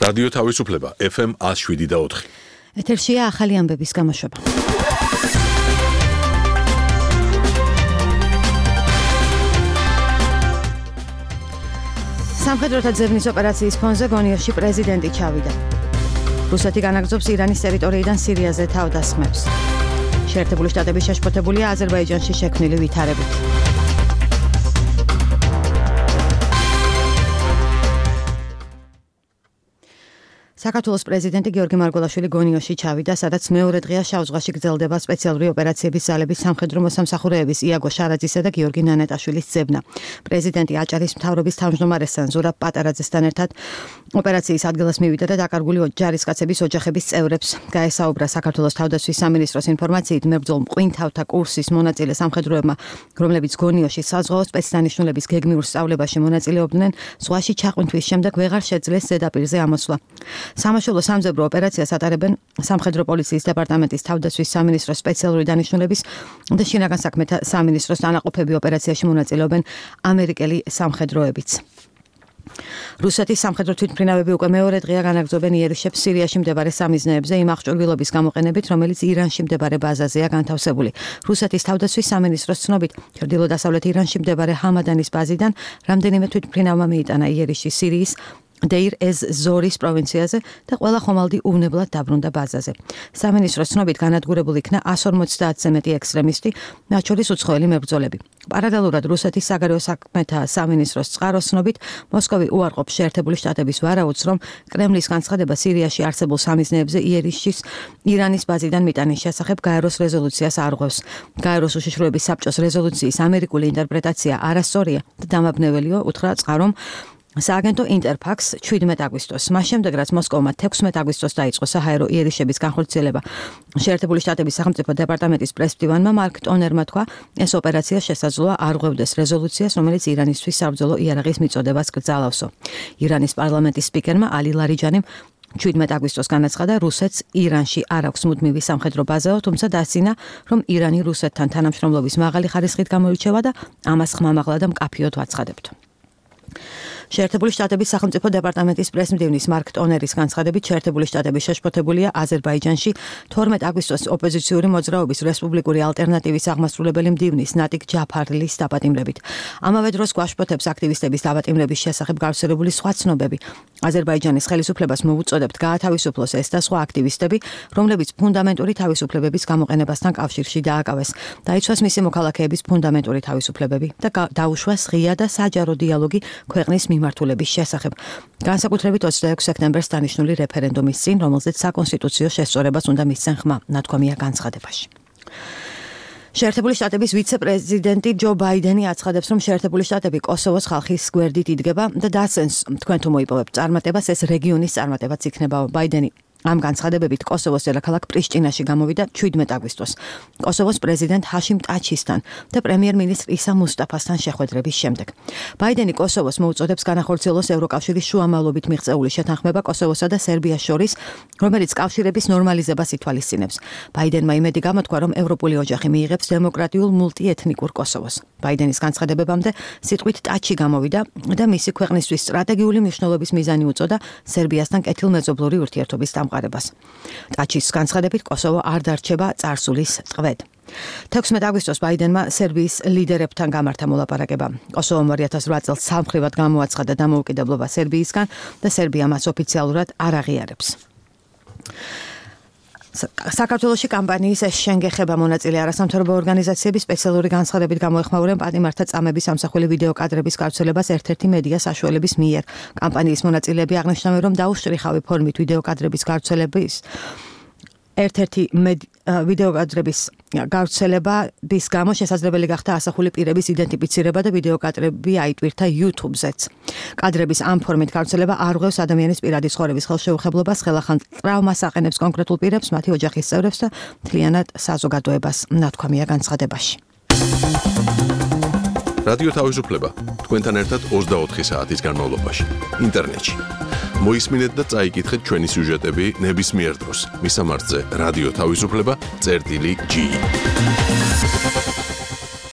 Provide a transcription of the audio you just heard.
რადიო თავისუფლება FM 107.4. ეთერშია ახალი ამბების გამოშვება. სამხედროთა ძებნის ოპერაციის ფონზე გონიოში პრეზიდენტი ჩავიდა. რუსეთი განაგრძობს ირანის ტერიტორიიდან სირიაზე თავდასხმებს. შეერთებული შტატები შეშფოთებულია აზერბაიჯანში შექმნილი ვითარებით. საქართველოს პრეზიდენტი გიორგი მარგველაშვილი გონიოში ჩავიდა, სადაც მეორე დღეა შავ ზღვაში გრძელდება სპეციალური ოპერაციების ძალების სამხედრო მოსამსახურეების იაგო შარაძისა და გიორგი ნანეტაშვილის ძებნა. პრეზიდენტი აჭარის მთავრობის თავმჯდომარესთან ზურაბ პატარაძესთან ერთად ოპერაციის ადგილას მივიდა და დაკარგული ჯარისკაცების ოჯახების წევრებს გაესაუბრა. საქართველოს თავდაცვის სამინისტროს ინფორმაციით მებრძოლ მყინთავთა კურსის მონაწილე სამხედროებმა, რომლებიც გონიოში საზღვაო სპეცდანიშნულების გეგმიურ სწავლებაში მონაწილეობდნენ, ზღვაში ჩაყვინთვის შემდეგ ვეღარ შეძლეს ზედაპირზე ამოსვლა. სამაშველო სამძებრო ოპერაციას ატარებენ სამხედრო პოლიციის დეპარტამენტის თავდაცვის სამინისტროს სპეციალური დანიშნულების და შინაგან საქმეთა სამინისტროს დანაყოფები ოპერაციაში მონაწილეობენ ამერიკელი სამხედროებიც. რუსეთის სამხედრო თვითმფრინავები უკვე მეორე დღეა განაგრძობენ იერიშებს სირიაში მდებარე სამიზნეებზე იმ აღჭურვილობის გამოყენებით, რომელიც ირანში მდებარე ბაზაზეა განთავსებული. რუსეთის თავდაცვის სამინისტროს ცნობით, ჩრდილო-დასავლეთ ირანში მდებარე ჰამადანის ბაზიდან რამდენიმე თვითმფრინავმა მიიტანა იერიში სირიის დეირ ez ზორის პროვინციაზე და ყველა ხომალდი უვნებლად დაბრუნდა ბაზაზე. სამინისტროს ცნობით განადგურებული იქნა 150-ზე მეტი ექსტრემისტი, მათ შორის უცხოელი მებრძოლები. პარალელურად რუსეთის საგარეო საქმეთა სამინისტროს წყაროს ცნობით, მოსკოვი უარყოფს შეერთებული შტატების ვარაუდს, რომ კრემლის განცხადება სირიაში არსებულ სამიზნეებზე იერიშის ირანის ბაზიდან მიტანის შესახებ გაეროს რეზოლუციას არღვევს. გაეროს უშიშროების საბჭოს რეზოლუციის ამერიკული ინტერპრეტაცია არასწორია და დამაბნეველიო, უთხრა წყარომ სააგენტო ინტერფაქს 17 აგვისტოს. მას შემდეგ, რაც მოსკოვმა 16 აგვისტოს დაიწყო საჰაერო იერიშების განხორციელება, შეერთებული შტატების სახელმწიფო დეპარტამენტის პრესმდივანმა მარკ ტონერმა თქვა, ეს ოპერაცია შესაძლოა არღვევდეს რეზოლუციას, რომელიც ირანისთვის საბრძოლო იარაღის მიწოდებას კრძალავსო. ირანის პარლამენტის სპიკერმა ალი ლარიჯანიმ 17 აგვისტოს განაცხადა, რუსეთს ირანში არ აქვს მუდმივი სამხედრო ბაზაო, თუმცა დასცინა, რომ ირანი რუსეთთან თანამშრომლობის მაღალი ხარისხით გამოირჩევა და ამას ხმამაღლა და მკაფიოდ ვაცხადებთ. შეერთებული შტატების სახელმწიფო დეპარტამენტის პრესმდივნის მარკ ტონერის განცხადებით, შეერთებული შტატები შეშფოთებულია აზერბაიჯანში 12 აგვისტოს ოპოზიციური მოძრაობის რესპუბლიკური ალტერნატივის აღმასრულებელი მდივნის ნატიკ ჯაფარლის დაპატიმრებით. ამავე დროს გვაშფოთებს აქტივისტების დაპატიმრების შესახებ გავრცელებული სხვა ცნობები. აზერბაიჯანის ხელისუფლებას მოუწოდებთ გაათავისუფლოს ეს და სხვა აქტივისტები, რომლებიც ფუნდამენტური თავისუფლებების გამოყენებასთან კავშირში დააკავეს. დაიცვას მისი მოქალაქეების ფუნდამენტური თავისუფლებები და დაუშვას ღია და საჯარო დიალოგი ქვეყნის მიმართულების შესახებ. განსაკუთრებით 26 სექტემბერს დანიშნული რეფერენდუმის წინ, რომელზეც საკონსტიტუციო შესწორებას უნდა მისცენ ხმა, ნათქვამია განცხადებაში. შეერთებული შტატების ვიცე-პრეზიდენტი ჯო ბაიდენი აცხადებს, რომ შეერთებული შტატები კოსოვოს ხალხის გვერდით იდგება და დასცენს, თქვენ თუ მოიპოვებთ წარმატებას, ეს რეგიონის წარმატებაც იქნება. ბაიდენი ამ განცხადებებით კოსოვოს დედაქალაქ პრიშტინაში გამოვიდა 17 აგვისტოს კოსოვოს პრეზიდენტ ჰაშიმ ტაჩისთან და პრემიერ-მინისტრ ისა მუსტაფასთან შეხვედრების შემდეგ. ბაიდენი კოსოვოს მოუწოდებს განახორციელოს ევროკავშირის შუამავლობით მიღწეული შეთანხმება კოსოვოსა და სერბიას შორის, რომელიც კავშირების ნორმალიზებას ითვალისწინებს. ბაიდენმა იმედი გამოთქვა, რომ ევროპული ოჯახი მიიღებს დემოკრატიულ მულტიეთნიკურ კოსოვოს. ბაიდენის განცხადებებამდე სიტყვით ტაჩი გამოვიდა და მისი ქვეყნისთვის სტრატეგიული მნიშვნელობის მიზანი უწოდა სერბიასთან კეთილმეზობლური ურთიერთობის დამყარებას. ტაჩის განცხადებით კოსოვო არ დარჩება წარსულის ტყვედ. 16 აგვისტოს ბაიდენმა სერბიის ლიდერებთან გამართა მოლაპარაკება. კოსოვომ 2008 წელს სამხრივად გამოაცხადა დამოუკიდებლობა სერბიისგან და სერბია მას ოფიციალურად არ აღიარებს. საქართველოში კამპანიის შენგეხება მონაწილე არასამთავრობო ორგანიზაციები სპეციალური განცხადებით გამოეხმაურებენ პატიმართა წამების ამსახველი ვიდეო კადრების გავრცელებას ერთ-ერთი მედია საშუალების მიერ. კამპანიის მონაწილეები აღნიშნავენ, რომ დაუშტრიხავი ფორმით ვიდეო კადრების გავრცელების ერთ-ერთი ვიდეო კადრების გავრცელების გამო შესაძლებელი გახდა ასახული პირების იდენტიფიცირება და ვიდეო კადრები აიტვირთა YouTube-ზეც. კადრების ამ ფორმით გავრცელება არ ღვევს ადამიანის პირადი ცხოვრების ხელშეუხებლობას, ხელახან ტრავმას აყენებს კონკრეტულ პირებს, მათი ოჯახის წევრებს და მთლიანად საზოგადოებას, ნათქვამია განცხადებაში. რადიო თავისუფლება თქვენთან ერთად 24 საათის განმავლობაში ინტერნეტში. მოისმინეთ და წაიკითხეთ ჩვენი სიუჟეტები ნებისმიერ დროს. მისამართზე რადიო თავისუფლება წერტილი G.